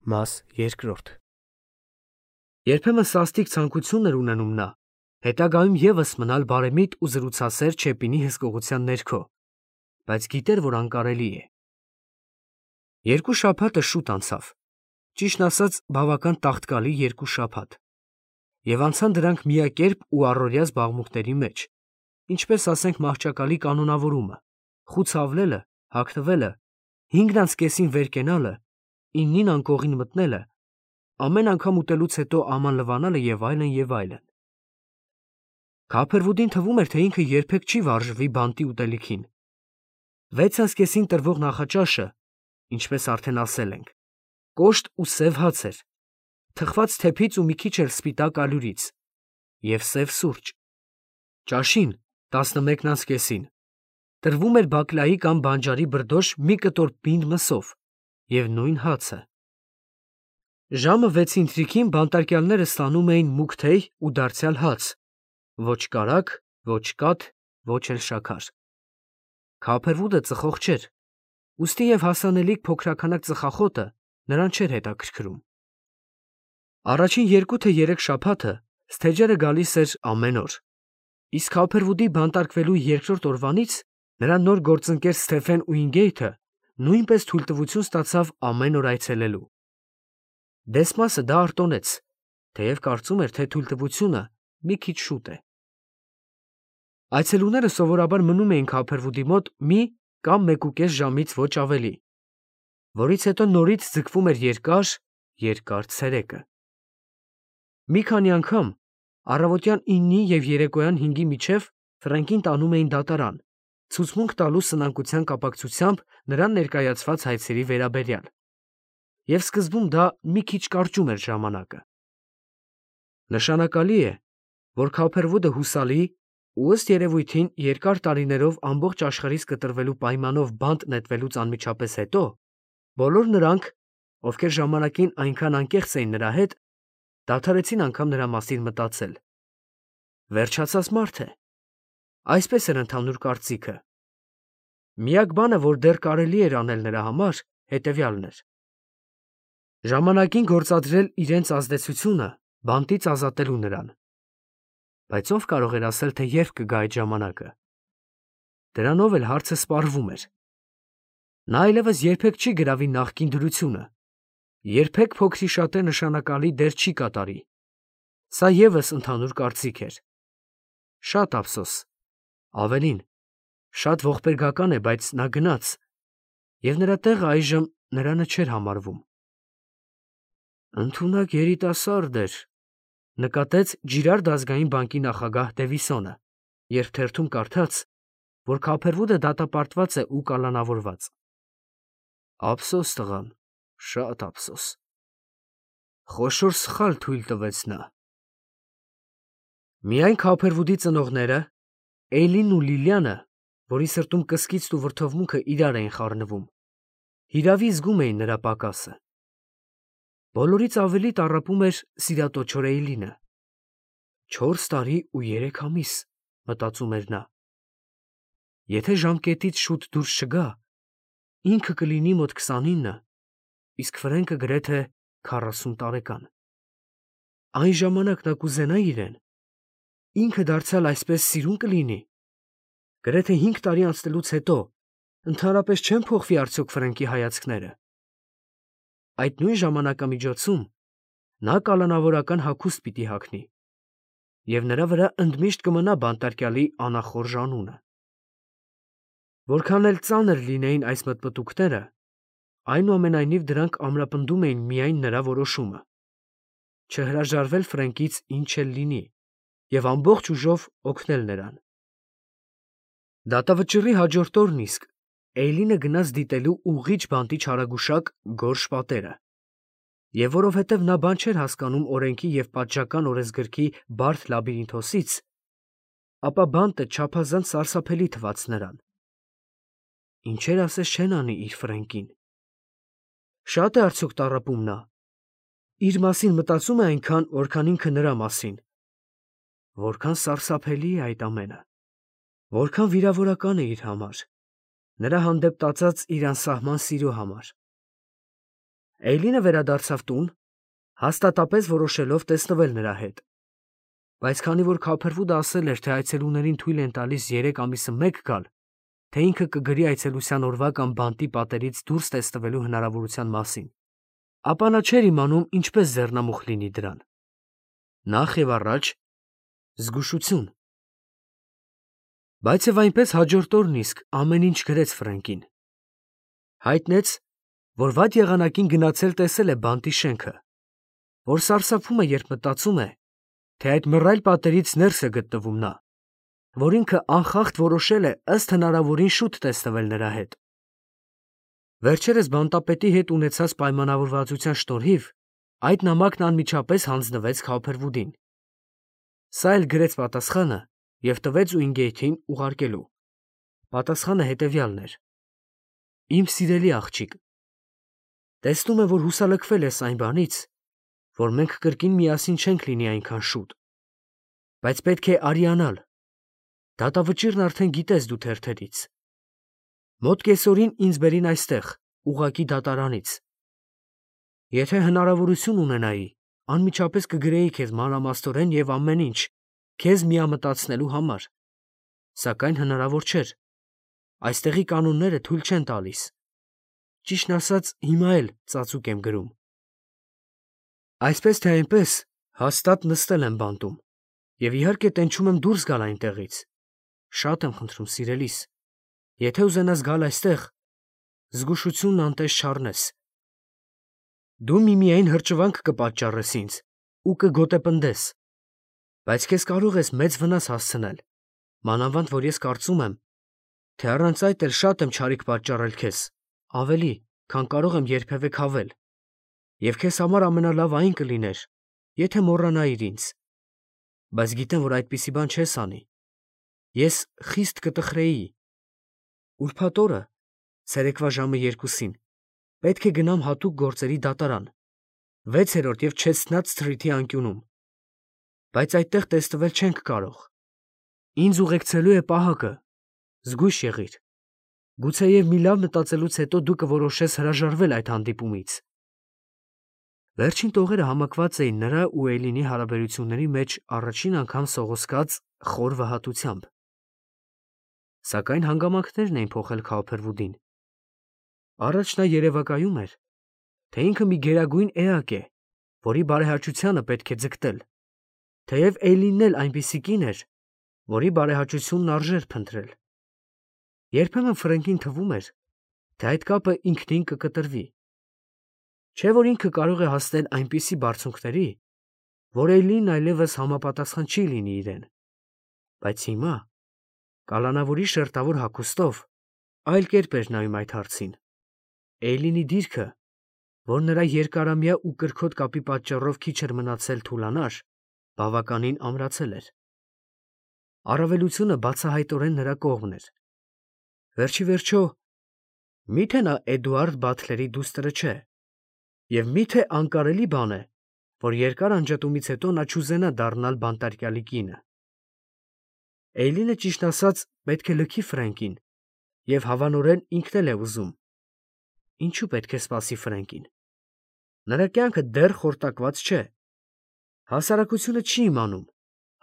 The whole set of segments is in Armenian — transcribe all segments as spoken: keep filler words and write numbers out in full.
Մաս երկրորդ Երբեմն սաստիկ ցանկություն էր ունենում նա, հետագայում ևս մնալ բարեմիտ ու զրուցասեր Չեպինի հսկողության ներքո, բայց գիտեր, որ անկարելի է։ Երկու շաբաթը շուտ անցավ, ճիշտն ասած, բավական տաղտկալի երկու շաբաթ, և անցան դրանք միակերպ ու առօրյա զբաղմունքների մեջ, ինչպես ասենք մահճակալի կանոնավորումը, խուցավլելը, հագնվելը, հինգն անց կեսին վեր կենալը, իննին անկողին մտնելը, ամեն անգամ ուտելուց հետո աման լվանալը և այլն, և այլն։ Քափերվուդին թվում էր, թե ինքը երբեք չի վարժվի բանտի ուտելիքին։ Վեց անց կեսին տրվող նախաճաշը, ինչպես արդեն ասել ենք, կոշտ ու սև հաց էր, թխված թեփից ու մի քիչ էլ սպիտակ ալյուրից, և սև սուրճ։ Ճաշին, տասնմեկն անց կեսին, տրվում էր բակլայի կամ բանջարի բրդոշ մի կտոր պինդ մսով և նույն հացը։ Ժամը վեցին թրիքին բանտարկյալները ստանում էին մուգ թեյ ու դարձյալ հաց, ոչ կարագ, ոչ կաթ, ոչ էլ շաքար։ Քափերվուդը ծխող չէր, ուստի և հասանելիք փոքրաքանակ ծխախոտը նրան չէր հետաքրքրում։ Առաջին երկու թե երեք շաբաթը սթեջերը գալիս էր ամեն օր, իսկ Քափերվուդի բանտարկվելու երկրորդ օրվանից նրա նոր գործընկեր Սթեֆեն Ուինգեյթը նույնպես թույլտվություն ստացավ ամեն օր այցելելու։ Դեսմասը դա արտոնեց, թեև կարծում էր, թե թույլտվությունը մի քիչ շուտ է։ Այցելուները սովորաբար մնում էին Քափերվուդի մոտ մի կամ մեկուկես ժամից ոչ ավելի, որից հետո նորից ձգվում էր երկար, երկար ցերեկը։ Մի քանի անգամ առավոտյան իննի և երեկոյան հինգի միջև Ֆրենկին տանում էին դատարան, ցուցմունք տալու սնանկության կապակցությամբ նրան ներկայացված հայցերի վերաբերյալ, և սկզբում դա մի քիչ կարճում էր ժամանակը։ Նշանակալի է, որ Քափերվուդը հուսալի ու ըստ երևույթին երկար տարիներով ամբողջ աշխարհից կտրվելու պայմանով բանտ նետվելուց անմիջապես հետո, բոլոր նրանք, ովքեր ժամանակին այնքան անկեղծ էին նրա հետ, դադարեցին անգամ նրա մասին մտածել։ Վերջացած մարդ է, այսպես էր ընդհանուր կարծիքը։ Միակ բանը, որ դեռ կարելի էր անել նրա համար, հետևյալն էր. ժամանակին գործադրել իրենց ազդեցությունը բանտից ազատելու նրան։ Բայց ով կարող էր ասել, թե երբ կգա այդ ժամանակը։ Դրանով էլ հարցը սպառվում էր։ Նա այլևս երբեք չի գրավի նախկին դրությունը, երբեք փոքրիշատե նշանակալի դեր չի կատարի։ Սա ևս ընդհանուր կարծիք էր։ Շատ ափսոս, ավելին, շատ ողբերգական է, բայց նա գնաց, և նրա տեղը այժմ նրանը չէր համարվում։ Ընդունակ երիտասարդ էր, նկատեց Ջիրարդ ազգային բանկի նախագահ Դևիսոնը, երբ թերթում կարդաց, որ Քափերվուդը դատապարտված է ու կալանավորված։ Ափսոս տղան, շատ ափսոս։ Խոշոր սխալ թույլ տվեց նա։ Միայն Քափերվուդի ծնողները, Էյլինն ու Լիլիանը, որի սրտում կսկիծն ու վրդովմունքը իրար էին խառնվում, հիրավի զգում էին նրա պակասը։ Բոլորից ավելի տառապում էր սիրատոչոր Էյլինը։ Չորս տարի ու երեք ամիս, մտածում էր նա։ Եթե ժամկետից շուտ դուրս չգա, ինքը կլինի մոտ քսանինը, իսկ Ֆրենկը գրեթե քառասուն տարեկան։ Այն ժամանակ նա կուզենա իրեն, ինքը դարձյալ այսպես սիրուն կլինի։ Գրեթե հինգ տարի անցնելուց հետո ընդհանրապես չեն փոխվի արդյոք Ֆրենկի հայացքները։ Այդ նույն ժամանակամիջոցում նա կալանավորական հագուստ պիտի հագնի, և նրա վրա ընդմիշտ կմնա բանտարկյալի անախորժ անունը։ Որքան էլ ծանր լինեին այս մտմտուքները, այնուամենայնիվ դրանք ամրապնդում էին միայն նրա որոշումը՝ չհրաժարվել Ֆրենկից ինչ էլ լինի և ամբողջ ուժով օգնել նրան։ Դատավճիռի հաջորդ օրն իսկ Էյլինը գնաց դիտելու ուղղիչ բանտի չարագուշակ գորշ պատերը, և որովհետև նա բան չէր հասկանում օրենքի և պատժական օրենսգրքի բարդ լաբիրինթոսից, ապա բանտը չափազանց սարսափելի թվաց նրան։ Ինչեր ասես չեն անի իր Ֆրենկին։ Շա՞տ է արդյոք տառապում նա։ Իր մասին մտածում է այնքան, որքան ինքը նրա մասին։ Որքան սարսափելի է այդ ամենը։ Որքան վիրավորական է իր համար, նրա հանդեպ տածած իր անսահման սիրո համար։ Էյլինը վերադարձավ տուն, հաստատապես որոշելով տեսնվել նրա հետ։ Բայց քանի որ Քոփերվուդը ասել էր, թե այցելուներին թույլ են տալիս երեք ամիսը մեկ գալ, թե ինքը կգրի այցելության օրվա կամ բանտի պատերից դուրս տեսնվելու հնարավորության մասին, ապա նա չէր իմանում ինչպես ձեռնամուխ լինի դրան։ Նախ եւ առաջ զգուշություն։ Բայց եւ այնպես հաջորդ օրն իսկ ամեն ինչ գրեց Ֆրենկին։ Հայտնեց, որ վատ եղանակին գնացել տեսել է բանտի շենքը, որ սարսափում է, երբ մտածում է, թե այդ մռայլ պատերից ներս է գտնվում նա, որ ինքը անխախտ որոշել է ըստ հնարավորին շուտ տեսնվել նրա հետ։ Վերջերս բանտապետի հետ ունեցած պայմանավորվածության շնորհիվ այդ նամակն անմիջապես հանձնվեց Քոփերվուդին։ Սա էլ գրեց պատասխանը և տվեց Ուինգեյթին ուղարկելու։ Պատասխանը հետևյալն էր. Իմ սիրելի աղջիկ, տեսնում եմ, որ հուսալքվել ես այն բանից, որ մենք կրկին միասին չենք լինի այնքան շուտ, բայց պետք է արիանալ։ Դատավճիռն արդեն գիտես դու թերթերից։ Մոտ կեսօրին ինձ բերին այստեղ, ուղղակի դատարանից։ Եթե հնարավորություն ունենայի, անմիջապես կգրեի քեզ մանրամասնորեն և ամեն ինչ, քեզ միամտացնելու համար, սակայն հնարավոր չէր։ Այստեղի կանոնները թույլ չեն տալիս։ Ճիշտն ասած, հիմա էլ ծածուկ եմ գրում։ Այսպես թե այնպես, հաստատ նստել եմ բանտում և իհարկե տենչում եմ դուրս գալ այնտեղից։ Շատ եմ խնդրում, սիրելիս, եթե ուզենաս գալ այստեղ, զգուշությունն անտես չառնես։ Դու միմիայն հրճվանք կպատճառես ինձ ու կգոտեպնդես, բայց քեզ կարող ես մեծ վնաս հասցնել, մանավանդ որ ես կարծում եմ, թե առանց այդ էլ շատ եմ չարիք պատճառել քեզ, ավելի, քան կարող եմ երբևէ քավել, և քեզ համար ամենալավը այն կլիներ, եթե մոռանայիր ինձ, բայց գիտեմ, որ այդպիսի բան չես անի։ Ես խիստ կտխրեի։ Ուրբաթ օրը, ցերեկվա ժամը երկուսին, պետք է գնամ հատուկ գործերի դատարան, վեցերորդ և Չեստնատ Սթրիթի անկյունում, բայց այդտեղ տեսնվել չենք կարող։ Ինձ ուղեկցելու է պահակը, զգույշ եղիր։ Գուցեև մի լավ մտածելուց հետո դու կորոշես հրաժարվել այդ հանդիպումից։ Վերջին տողերը համակված էին նրա ու Էյլինի հարաբերությունների մեջ առաջին անգամ սողոսկած խոր վհատությամբ։ Սակայն հանգամանքներն էին փոխել Քոփերվուդին։ Առաջ նա երևակայում էր, թե ինքը մի գերագույն էակ է, որի բարեհաճությանը պետք է ձգտել, թեև Էյլինն էլ այնպիսի կին էր, որի բարեհաճությունն արժեր փնտրել։ Երբեմն Ֆրենկին թվում էր, թե այդ կապը ինքնին կկտրվի։ Չէ՞ որ ինքը կարող է հասնել այնպիսի բարձունքների, որ Էյլինն այլևս համապատասխան չի լինի իրեն։ Բայց հիմա, կալանավորի շերտավոր հագուստով, այլ կերպ էր նայում այդ հարցին։ Էյլինի դիրքը, որ նրա երկարամյա ու կրքոտ կապի պատճառով քիչ էր մնացել թուլանար, բավականին ամրացել էր։ Առավելությունը բացահայտորեն նրա կողմն էր։ Վերջի վերջո, մի՞թե նա Էդուարդ Բաթլերի դուստրը չէ, և մի՞թե անկարելի բան է, որ երկար անջատումից հետո նա չուզենա դառնալ բանտարկյալի կինը։ Էյլինը, ճիշտն ասած, պետք է լքի Ֆրենկին, և հավանորեն ինքն էլ է ուզում։ Ինչու պետք է սպասի Ֆրենկին։ Նրա կյանքը դեռ խորտակված չէ։ Հասարակությունը չի իմանում,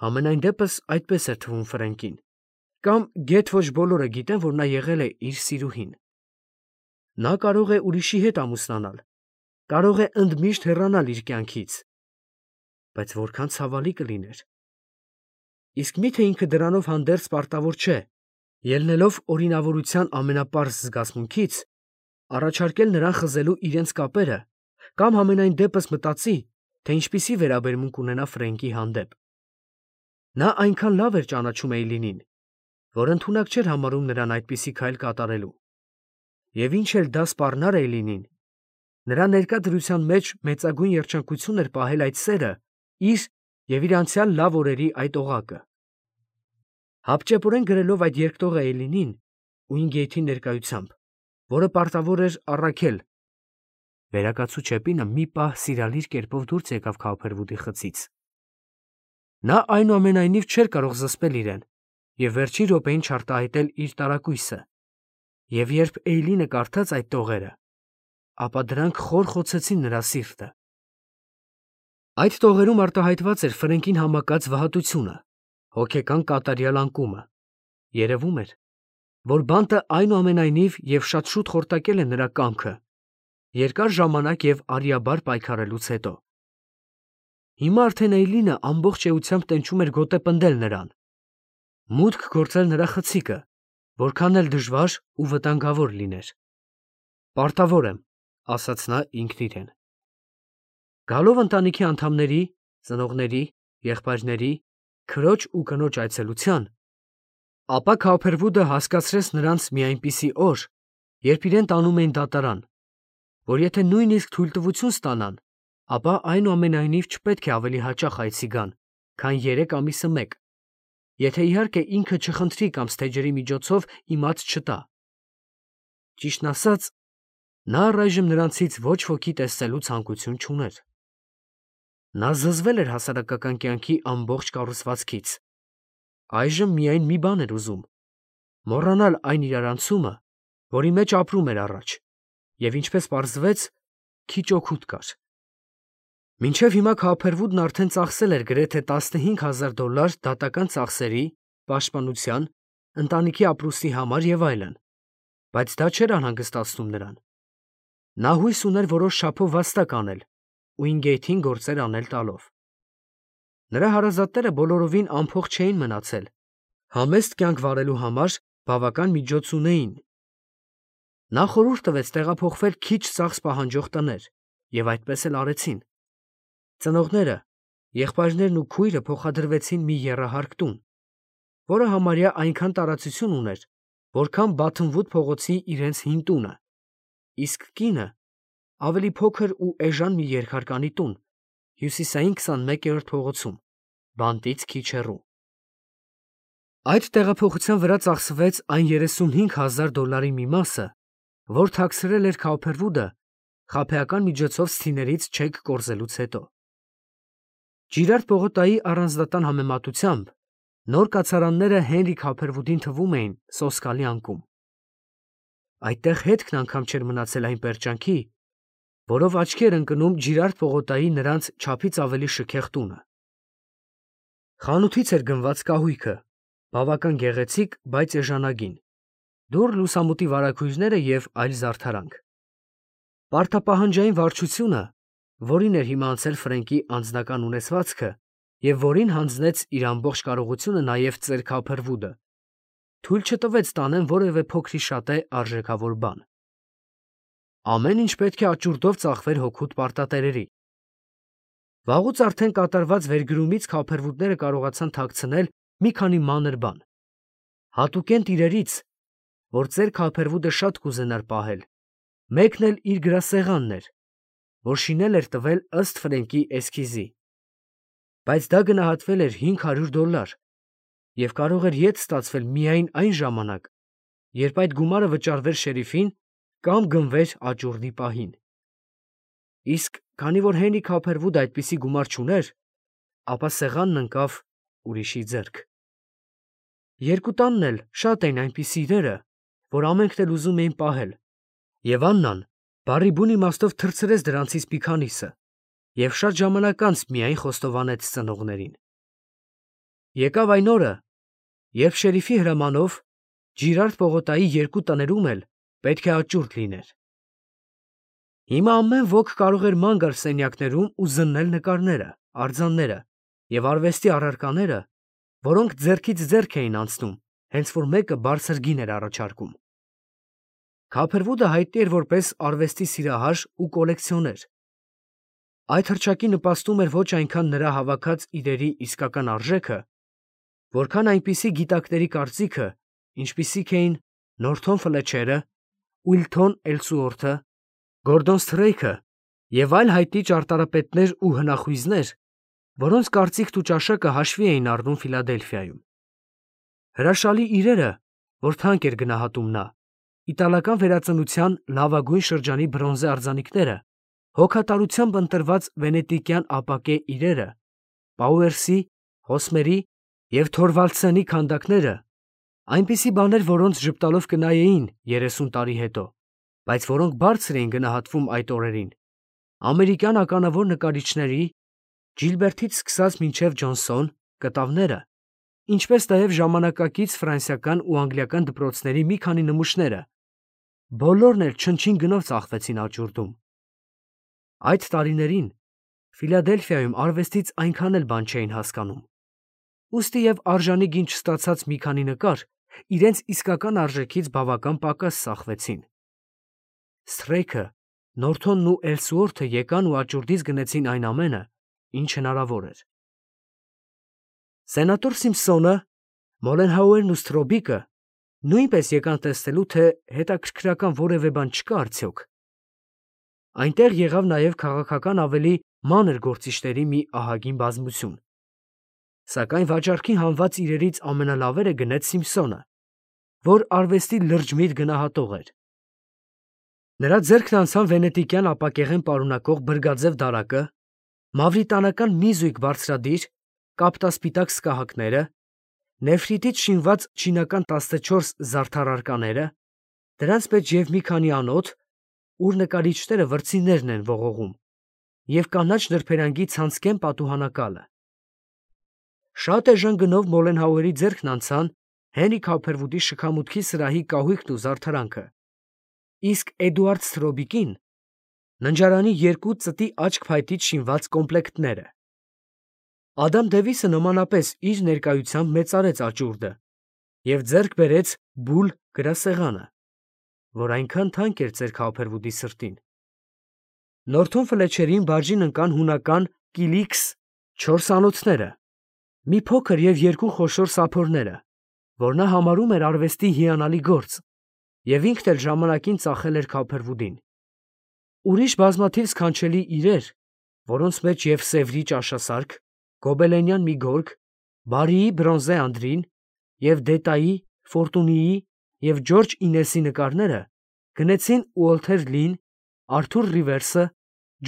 համենայն դեպս այդպես էր թվում Ֆրենկին, կամ գեթ ոչ բոլորը գիտեն, որ նա եղել է իր սիրուհին։ Նա կարող է ուրիշի հետ ամուսնանալ, կարող է ընդմիշտ հեռանալ իր կյանքից, բայց որքան ցավալի կլիներ։ Իսկ մի՞թե ինքը դրանով հանդերձ պարտավոր չէ, ելնելով օրինավորության ամենապարզ զգացմունքից, առաջարկել նրան խզելու իրենց կապերը, կամ համենայն դեպս մտածի, թե ինչպիսի վերաբերմունք ունենա Ֆրենկի հանդեպ։ Նա այնքան լավ էր ճանաչում Էյլինին, որ ընդունակ չէր համարում նրան այդպիսի քայլ կատարելու։ Եվ ինչ էլ դա սպառնար Էյլինին, նրա ներկա դրության մեջ մեծագույն երջանկություն էր պահել այդ սերը իր և իր անցյալ լավ օրերի այդ օղակը։ Հապճեպորեն գրելով այդ երկտողը Էյլինին, Ուինգեյթի ներկայությամբ, որը պարտավոր էր առաքել, վերակացու Չեպինը մի պահ սիրալիր կերպով դուրս եկավ Քոփերվուդի խցից։ Նա այնուամենայնիվ չէր կարող զսպել իրեն և վերջին րոպեին չարտահայտել իր տարակույսը, և երբ Էյլինը կարդաց այդ տողերը, ապա դրանք խոր խոցեցին նրա սիրտը։ Այդ տողերում արտահայտված էր Ֆրենկին համակած վհատությունը, հոգեկան կատարյալ անկումը։ Երևում էր, որ բանտը այնուամենայնիվ և շատ շուտ խորտակել է նրա կամքը, երկար ժամանակ և արիաբար պայքարելուց հետո։ Հիմա արդեն Էյլինը ամբողջ էությամբ տենչում էր գոտեպնդել նրան, մուտք գործել նրա խցիկը, որքան էլ դժվար ու վտանգավոր լիներ։ «Պարտավոր եմ», ասաց նա ինքն իրեն։ Գալով ընտանիքի անդամների, ծնողների, եղբայրների, քրոջ ու կնոջ այցելության, ապա Քոուփերվուդը հասկացրեց նրանց մի այնպիսի օր, երբ իրեն տանում էին դատարան, որ եթե նույնիսկ թույլտվություն ստանան, ապա այնուամենայնիվ չպետք է ավելի հաճախ այցի գան, քան երեք ամիսը մեկ, եթե իհարկե ինքը չխնդրի կամ ստեջերի միջոցով իմաց չտա։ Ճիշտն ասած, նա առայժմ նրանցից ոչ ոքի տեսնելու ցանկություն չուներ։ Նա զզվել էր հասարակական կյանքի ամբողջ կառուցվածքից։ Այժմ միայն մի բան էր ուզում՝ մոռանալ այն իրարանցումը, որի մեջ ապրում էր առաջ, և ինչպես պարզվեց, քիչ օգուտ կար։ Մինչև հիմա Քոուփերվուդն արդեն ծախսել էր գրեթե տասնհինգ հազար դոլար դատական ծախսերի, պաշտպանության, ընտանիքի ապրուստի համար և այլն, բայց դա չէր անհանգստացնում նրան։ Նա հույս ուներ որոշ չափով վաստակ անել, Ուինգեյթին գործեր անել տալով։ Նրա հարազատները բոլորովին անփող չէին մնացել, համեստ կյանք վարելու համար բավական միջոց ունեին։ Նա խորհուրդ տվեց տեղափոխվել քիչ ծախս պահանջող տներ, և այդպես էլ արեցին։ Ծնողները, եղբայրներն ու քույրը փոխադրվեցին մի եռահարկ տուն, որը համարյա այնքան տարածություն ուներ, որքան Բաթնվուդ փողոցի իրենց հին տունը, իսկ կինը ավելի փոքր ու էժան մի երկհարկանի տուն հյուսիսային քսանմեկերորդ փողոցում, բանտից քիչ հեռու։ Այդ տեղափոխության վրա ծախսվեց այն երեսունհինգ հազար դոլարի մի մասը, որ թաքցրել էր Քոուփերվուդը խաբեական միջոցով սթիներից չեք կորզելուց հետո։ Ջիրարդ պողոտայի առանձնատան համեմատությամբ նոր կացարանները Հենրի Քոուփերվուդին թվում էին սոսկալի անկում։ Այդտեղ հետքն անգամ չէր մնացել այն պերճանքի, որով աչքի էր ընկնում Ջիրարդ պողոտայի նրանց չափից ավելի շքեղ տունը։ Խանութից էր գնված կահույքը, բավական գեղեցիկ, բայց էժանագին, դուռ լուսամուտի վարագույրները և այլ զարդարանք։ Պարտապահանջային վարչությունը, որին էր հիմա անցել Ֆրենկի անձնական ունեցվածքը և որին հանձնեց իր ամբողջ կարողությունը նաև ծեր Քոուփերվուդը, թույլ չտվեց տանեն որևէ փոքրիշատե արժեքավոր բան։ Ամեն ինչ պետք է աճուրդով ծախվեր հօգուտ պարտատերերի։ Վաղուց արդեն կատարված վերգրումից Քոուփերվուդները կարողացան թաքցնել մի քանի մանր բան։ Հատուկենտ իրերից, որ ծեր Քոուփերվուդը շատ կուզենար պահել, մեկն էլ իր գրասեղանն էր, որ շինել էր տվել ըստ Ֆրենկի էսքիզի։ Բայց դա գնահատվել էր հինգ հարյուր դոլար և կարող էր ետ ստացվել միայն այն ժամանակ, երբ այդ գումարը վճարվեր շերիֆին կամ գնվեր աճուրդի պահին։ Իսկ քանի որ Հենրի Քոուփերվուդը այդպիսի գումար չուներ, ապա սեղանն ընկավ ուրիշի ձեռք։ Երկու տանն էլ շատ էին այնպիսի իրերը, որ ամենքն էլ ուզում էին պահել, և Աննան բառի բուն իմաստով թռցրեց դրանցից մի քանիսը և շատ ժամանակ անց միայն խոստովանեց ծնողներին։ Եկավ այն օրը, երբ շերիֆի հրամանով Ջիրարդ պողոտայի երկու տներում էլ պետք է աճուրդ լիներ։ Հիմա ամեն ոք կարող էր ման գալ սենյակներում ու զննել նկարները, արձանները և արվեստի առարկաները, որոնք ձեռքից ձեռք էին անցնում, հենց որ մեկը բարձր գին էր առաջարկում։ Քոուփերվուդը հայտնի էր որպես արվեստի սիրահար ու կոլեկցիոներ։ Այդ հռչակի նպաստում էր ոչ այնքան նրա հավաքած իրերի իսկական արժեքը, որքան այնպիսի գիտակների կարծիքը, ինչպիսիք էին Նորթոն Ֆլեչերը, Ուիլթոն Էլսուորթը, Գորդոն Սթրեյքը և այլ հայտնի ճարտարապետներ ու հնախույզներ, որոնց կարծիքն ու ճաշակը հաշվի էին առնում Ֆիլադելֆիայում։ Հրաշալի իրերը, որ թանկ էր գնահատում նա, իտալական վերածնության լավագույն շրջանի բրոնզե արձանիկները, հոգատարությամբ ընտրված վենետիկյան ապակե իրերը, Պաուերսի, Հոսմերի և Թորվալդսենի քանդակները, այնպիսի բաներ, որոնց ժպտալով կնայեին երեսուն տարի հետո, բայց որոնք բարձր էին գնահատվում այդ օրերին, ամերիկյան ականավոր նկարիչների Ջիլբերտից սկսած մինչև Ջոնսոն կտավները, ինչպես նաև ժամանակակից ֆրանսիական ու անգլիական դպրոցների մի քանի նմուշները, բոլորն էլ չնչին գնով ծախվեցին աճուրդում։ Այդ տարիներին Ֆիլադելֆիայում արվեստից այնքան էլ բան չէին հասկանում, ուստի և արժանի գին չստացած մի քանի նկար իրենց իսկական արժեքից բավական պակաս ծախվեցին։ Սթրեյքը, Նորթոնն ու Էլսուորթը եկան ու աճուրդից գնեցին այն ամենը, ինչ հնարավոր էր։ Սենատոր Սիմփսոնը, Մոլենհաուերն ու Սթրոբիկը նույնպես եկան տեսնելու, թե հետաքրքրական որևէ բան չկա արդյոք։ Այնտեղ եղավ նաև քաղաքական ավելի մանր գործիչների մի ահագին բազմություն։ Սակայն վաճառքին հանված իրերից ամենալավերը գնեց Սիմփսոնը, որ արվեստի լրջմիտ գնահատող էր։ Նրա ձեռքն անցան վենետիկյան ապակեղեն պարունակող բրգաձև դարակը, մավրիտանական մի զույգ բարձրադիր կապտասպիտակ սկահակները, նեֆրիտից շինված չինական տասնչորս զարդարարկաները, դրանց մեջ և մի քանի անոթ, ուր նկարիչները վրձիններն են ողողում, և կանաչ նրբերանգի ցանցկեն պատուհանակալը։ Շատ էժան գնով Մոլենհաուերի ձեռքն անցան Հենրի Քոփերվուդի շքամուտքի սրահի կահույքն ու զարդարանքը, իսկ Էդուարդ Սթրոբիկին ննջարանի երկու ծտի աչք փայտից շինված կոմպլեկտները։ Ադամ Դևիսը նմանապես իր ներկայությամբ մեծարեց աճուրդը և ձեռք բերեց բուլ գրասեղանը, որ այնքան թանկ էր ծեր Քոփերվուդի սրտին։ Նորթոն Ֆլեչերին բաժին ընկան հունական կիլիքս չորս անոթները, մի փոքր և երկու խոշոր սափորները, որ նա համարում էր արվեստի հիանալի գործ, և ինքն էլ ժամանակին ծախել էր Քոփերվուդին։ Ուրիշ բազմաթիվ սքանչելի իրեր, որոնց մեջ և Սևրի ճաշասարք, գոբելենյան մի գորգ, Բարիի բրոնզե անդրին և Դետայի, Ֆորտունիի և Ջորջ Ինեսի նկարները, գնեցին Ուոլթեր Լին, Արթուր Ռիվերսը,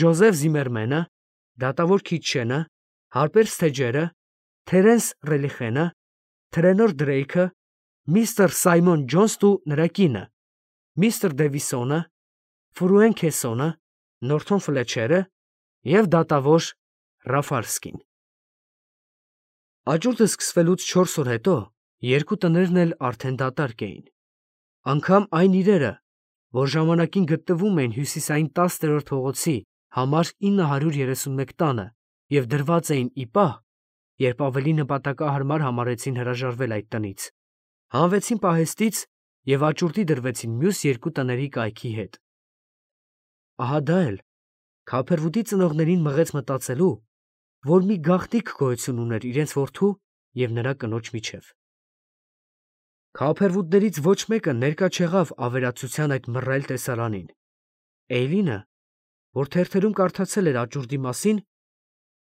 Ջոզեֆ Զիմերմենը, դատավոր Քիթչենը, Հարպեր Սթեջերը, Թերենս Ռելիխենը, Թրենոր Դրեյքը, միստր Սայմոն Ջոնսն ու նրա կինը, միստր Դևիսոնը, Ֆրուենքեսոնը, Նորթոն Ֆլեչերը և դատավոր Ռաֆալսկին։ Աճուրդը սկսվելուց չորս օր հետո երկու տներն էլ արդեն դատարկ էին։ Անգամ այն իրերը, որ ժամանակին գտնվում էին հյուսիսային տասներորդ փողոցի համար ինը հարյուր երեսունմեկ տանը և դրված էին ի պահ, երբ ավելի նպատակահարմար համարեցին հրաժարվել այդ տնից, հանվեցին պահեստից և աճուրդի դրվեցին մյուս երկու տների կայքի հետ։ Ահա դա էլ Քոփերվուդի ծնողներին մղեց մտածելու, որ մի գաղտնիք գոյություն ուներ իրենց որդու և նրա կնոջ միջև։ Քոփերվուդներից ոչ մեկը ներկա չեղավ ավերածության այդ մռայլ տեսարանին։ Էյլինը, որ թերթերում կարդացել էր աճուրդի մասին,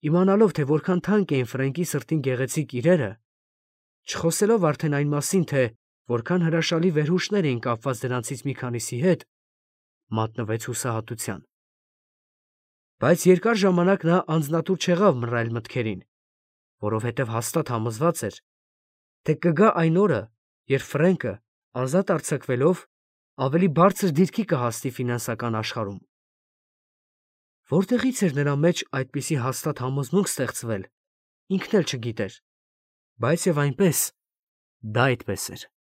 իմանալով, թե որքան թանկ էին Ֆրենկի սրտին գեղեցիկ իրերը, չխոսելով արդեն այն մասին, թե որքան հրաշալի վերհուշներ էին կապված դրանցից մի քանիսի հետ, մատնվեց հուսահատության։ Բայց երկար ժամանակ նա անձնատուր չեղավ մռայլ մտքերին, որովհետև հաստատ համոզված էր, թե կգա այն օրը, երբ Ֆրենկը, ազատ արձակվելով, ավելի բարձր դիրքի կհասնի ֆինանսական աշխարհում։ Որտեղից էր նրա մեջ այդպիսի հաստատ համոզմունք ստեղծվել, ինքն էլ չգիտեր, բայց և այնպես դա այդպես էր։